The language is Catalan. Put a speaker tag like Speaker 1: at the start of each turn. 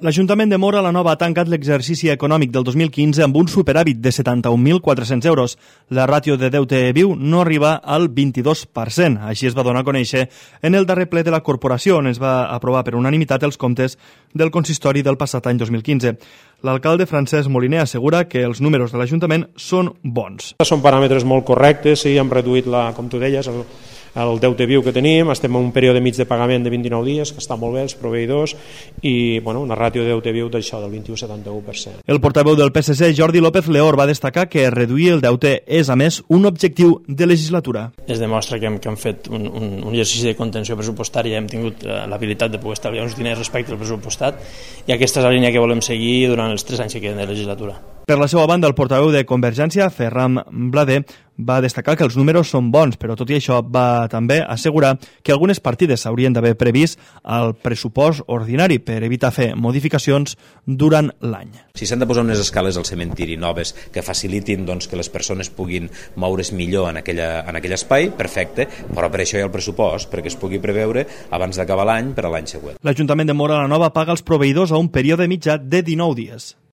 Speaker 1: L'Ajuntament de Móra la Nova ha tancat l'exercici econòmic del 2015 amb un superàvit de 71.400 euros. La ràtio de deute viu no arriba al 22%. Així es va donar a conèixer en el darrer ple de la corporació, on es va aprovar per unanimitat els comptes del consistori del passat any 2015. L'alcalde Francesc Moliner assegura que els números de l'Ajuntament són bons.
Speaker 2: Són paràmetres molt correctes, sí, hem reduït, com tu deies, el deute viu que tenim, estem en un període mig de pagament de 29 dies, que està molt bé, els proveïdors, i una ràtio de deute viu d'això, del 21,71%.
Speaker 1: El portaveu del PSC, Jordi López Leor, va destacar que reduir el deute és, a més, un objectiu de legislatura.
Speaker 3: Es demostra que hem fet un exercici de contenció pressupostària, hem tingut l'habilitat de poder estalviar uns diners respecte al pressupostat, i aquesta és la línia que volem seguir durant els 3 anys que queden de legislatura.
Speaker 1: Per la seva banda, el portaveu de Convergència, Ferran Blader, va destacar que els números són bons, però tot i això va també assegurar que algunes partides s'haurien d'haver previst al pressupost ordinari per evitar fer modificacions durant l'any.
Speaker 4: Si s'han de posar unes escales al cementiri noves que facilitin que les persones puguin moure's millor en aquell espai, perfecte, però per això hi ha el pressupost, perquè es pugui preveure abans d'acabar l'any per a l'any següent.
Speaker 1: L'Ajuntament de Móra la Nova paga els proveïdors a un període mitjà de 19 dies.